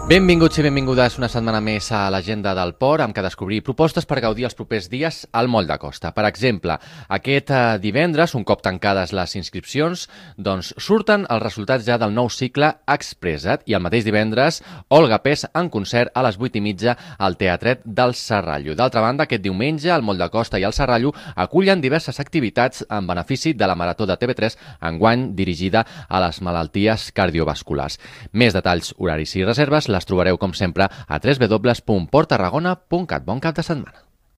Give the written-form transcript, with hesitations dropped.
Benvinguts i benvingudes una setmana més a l'Agenda del Port, amb què descobrir propostes per gaudir els propers dies al Moll de Costa. Per exemple, aquest divendres, un cop tancades les inscripcions, doncs surten els resultats ja del nou cicle Expressa't, i el mateix divendres, Olga Pes en concert a les 8:30 al Teatret del Serrallo. D'altra banda, aquest diumenge, el Moll de Costa i el Serrallo acullen diverses activitats en benefici de la Marató de TV3, enguany dirigida a les malalties cardiovasculars. Més detalls, horaris i reserves les trobareu, com sempre, a www.porttarragona.cat. Bon cap de setmana.